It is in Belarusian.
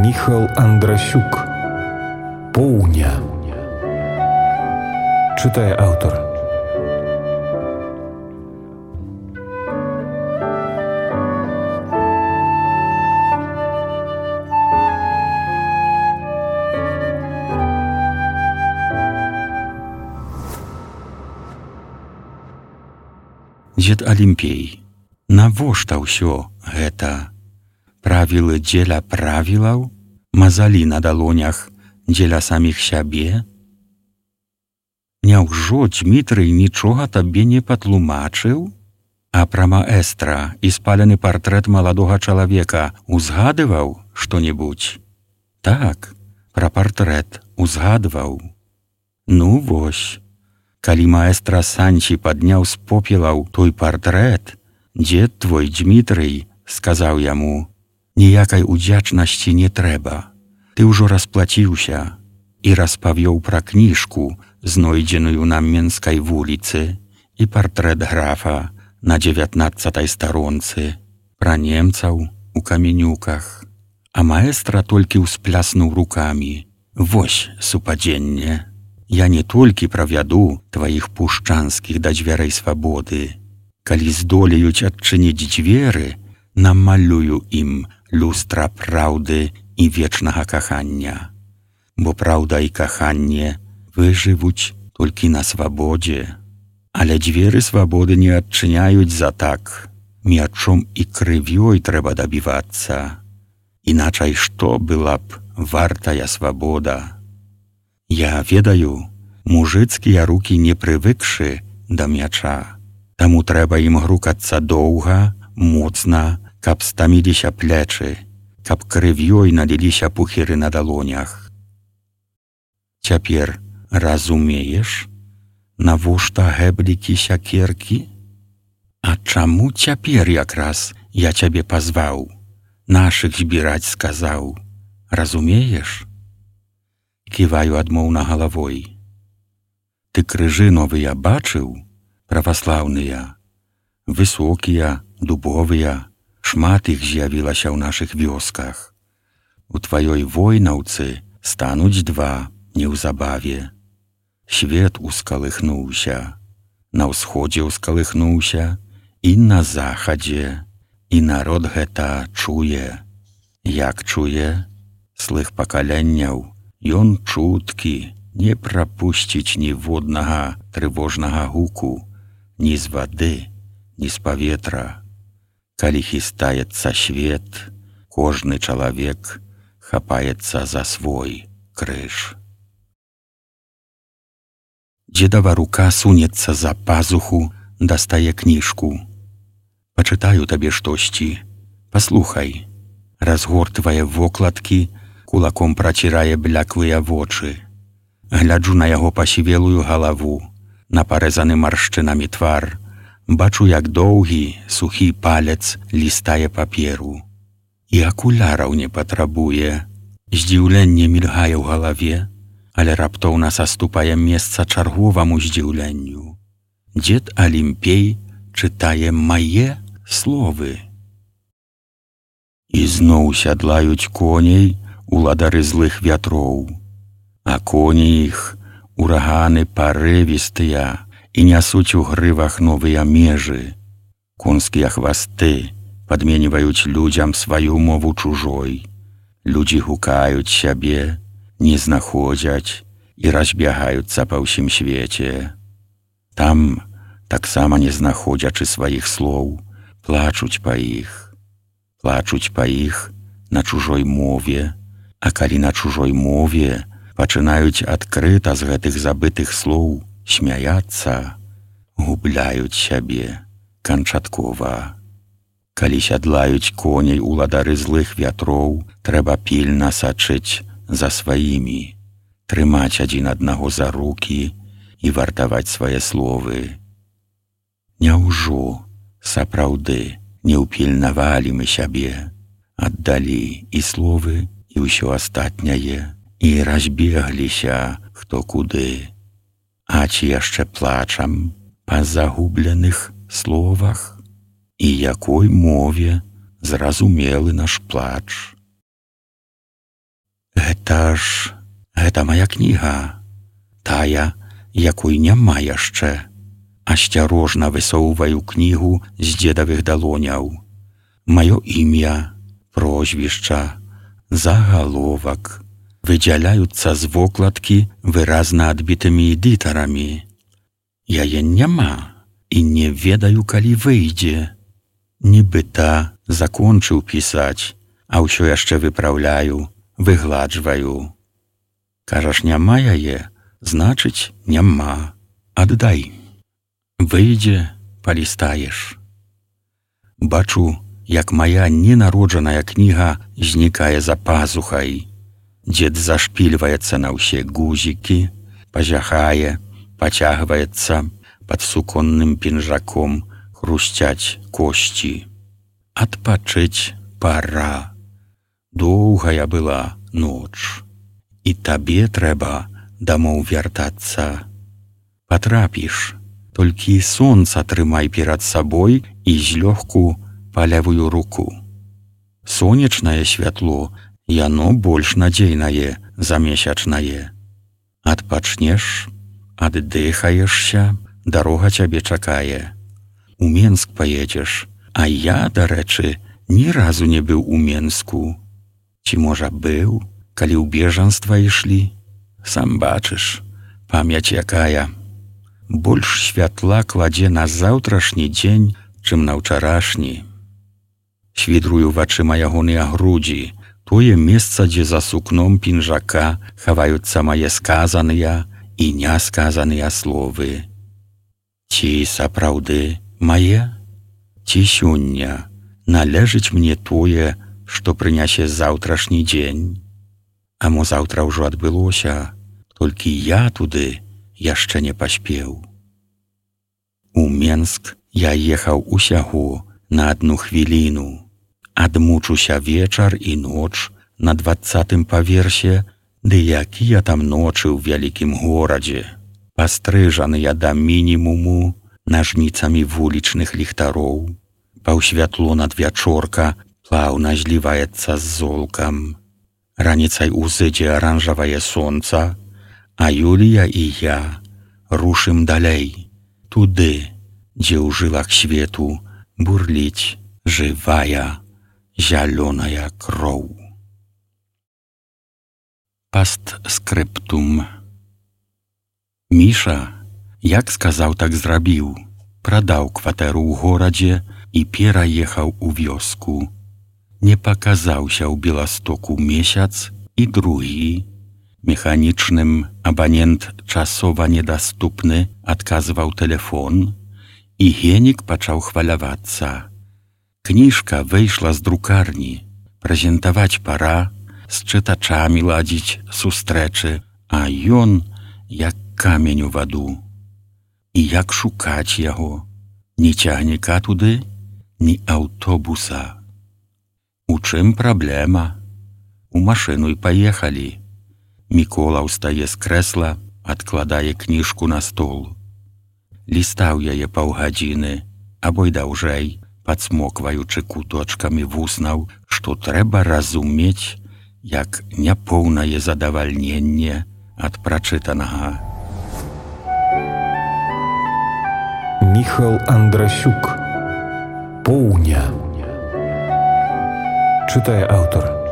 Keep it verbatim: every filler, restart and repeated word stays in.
Міхал Андрасюк. Поўня. Чытае аўтар. Дзед Алімпей, навошта ўсё гэта? Правілы дзеля правілаў, мазалі на далонях дзеля саміх сябе? Няўжо Дзмітрый нічога табе не патлумачыў? А пра маэстра і спалены партрэт маладога чалавека узгадываў што-небудзь? Так, пра партрэт узгадваў. Ну вось, калі маэстра Санчі падняў з попелаў той партрэт, дзед твой Дзмітрый сказаў яму: «Ніякай удзячнасці не трэба. Ты ўжо расплаціўся», і распавёў пра кніжку, знойдзеную на Менскай вуліцы, і партрэт графа на дзевятнаццатай старонцы, пра немцаў у каменюках. А маэстра толькі ўспляснуў рукамі: «Вось супадзенне. Я не толькі правяду тваіх пушчанскіх да дзвярэй свабоды. Калі здолеюць адчыніць дзверы, намалюю ім люстра праўды і вечнага кахання. Бо праўда і каханне выжывуць толькі на свабодзе. Але дзверы свабоды не адчыняюць за так. Мячом і крывёй трэба дабівацца. Іначай што была б вартая свабода? Я ведаю, мужыцкія рукі не прывыкшы да мяча. Таму трэба ім грукацца доўга, моцна, каб стаміліся плечы, каб крывёй наліліся пухіры на далонях. Цяпер разумееш, навошта гэблікі сякеркі? А чаму цяпер якраз я цябе пазваў, нашых збіраць сказаў? Разумееш? Ківаю адмоўна галавой. Ты крыжы новыя бачыў, праваслаўныя? Высокія, дубовыя, шмат іх з'явілася ў нашых вёсках. У тваёй войнаўцы стануць два неўзабаве. Свет ускалыхнуўся, на ўсходзе ўскалыхнуўся і на захадзе, і народ гэта чуе. Як чуе? Слых пакаленняў, ён чуткі, не прапусціць ніводнага трывожнага гуку, ні з вады, ні з паветра. Калі хістаецца свет, кожны чалавек хапаецца за свой крыж. Дзедава рука сунецца за пазуху, дастае кніжку. Пачытаю табе штосьці. Паслухай. Разгортвае вокладкі, кулаком працірае бляклыя вочы. Гляджу на яго пасівелую галаву, на парэзаны маршчынамі твар. Бачу, як доўгі, сухі палец лістае паперу. І акуляраў не патрабуе. Здзіўленне мільгае ў галаве, але раптоўна саступае месца чарговаму здзіўленню. Дзед Алімпей чытае мае словы. І зноў сядлаюць коней уладары злых вятроў, а коні іх ураганы парывістыя, і нясуць у грывах новыя межы. Конскія хвасты падменьваюць людзям сваю мову чужой. Людзі гукаюць сябе, не знаходзяць і разбягаюцца па ўсім свеце. Там, таксама не знаходзячы сваіх слоў, плачуць па іх. Плачуць па іх на чужой мове, а калі на чужой мове пачынаюць адкрыта з гэтых забытых слоў смяяцца, губляюць сябе канчаткова. Калі сядлаюць коней уладары злых вятроў, трэба пільна сачыць за сваімі, трымаць адзін аднаго за рукі і вартаваць свае словы. Няўжо сапраўды не ўпільнавалі мы сябе, аддалі і словы, і ўсё астатняе, і разбегліся хто куды. А ці яшчэ плачам па загубленых словах? І якой мове зразумелы наш плач? Гэта ж... гэта мая кніга. Тая, якой няма яшчэ. Асцярожна высоўваю кнігу з дзедавых далоняў. Маё імя, прозвішча, загаловак выдзяляюцца з вокладкі выразна адбітымі эдытарамі. Яе няма і не ведаю, калі выйдзе. Нібыта закончыў пісаць, а ўсё яшчэ выпраўляю, выгладжваю. Кажаш, няма яе, значыць, няма. Аддай. Выйдзе, палістаеш. Бачу, як моя ненароджаная кніга знікае за пазухай. Дзед зашпільваецца на ўсе гузікі, пазяхае, пацягваецца, пад суконным пінжаком хрусцяць косці. Адпачыць пара. Доўгая была ноч. І табе трэба дамоў вяртацца. Патрапіш, толькі сонца трымай перад сабой і злёгку па левую руку. Сонечнае святло, яно больш надзейнае за месячнае. Адпачнеш, аддыхаешся, дарога цябе чакае. У Менск паедзеш, а я, дарэчы, ні разу не быў у Менску. Ці, можа, быў, калі ў бежанства ішлі? Сам бачыш, памяць якая. Больш святла кладзе на заўтрашні дзень, чым на ўчарашні. Свідрую вачыма ягоныя грудзі, тое месца, дзе за сукном пінжака хаваюцца мае сказаныя і нясказаныя словы. Ці сапраўды мае? Ці сёння належыць мне тое, што прынясе заўтрашні дзень? А мо заўтра ўжо адбылося, толькі я туды яшчэ не паспеў. У Менск я ехаў усяго на адну хвіліну. Адмучуся вечар і ноч на дваццатым паверсе, ды якія там ночы ў вялікім горадзе, пастрыжаныя да мінімуму нажніцамі вулічных ліхтароў. Паўсвятло надвячорка плаўна зліваецца з золкам. Раніцай узыдзе аранжавае сонца, а Юлія і я рушым далей, туды, дзе ў жылах свету бурліць жывая зялёная кроў. Пастскрыптум. Міша, як сказаў, так зрабіў. Прадаў кватэру ў горадзе і пераехаў у вёску. Не паказаўся ў Беластоку месяц і другі. Механічным абанент часова недаступны адказваў тэлефон, і Генік пачаў хвалявацца. Кніжка выйшла з друкарні, прэзентаваць пара, з чытачамі ладзіць сустрэчы, а ён як камень у ваду. І як шукаць яго? Ні цягніка туды, ні аўтобуса. У чым праблема? У машыну і паехалі. Мікола ўстае з крэсла, адкладае кніжку на стол. Лістаў яе паўгадзіны, або й даўжэй, падсмокваючы куточкамі вуснаў, што трэба разумець, як няпоўнае задавальненне ад прачытанага. Міхал Андрасюк. Поўня. Чытае аўтар.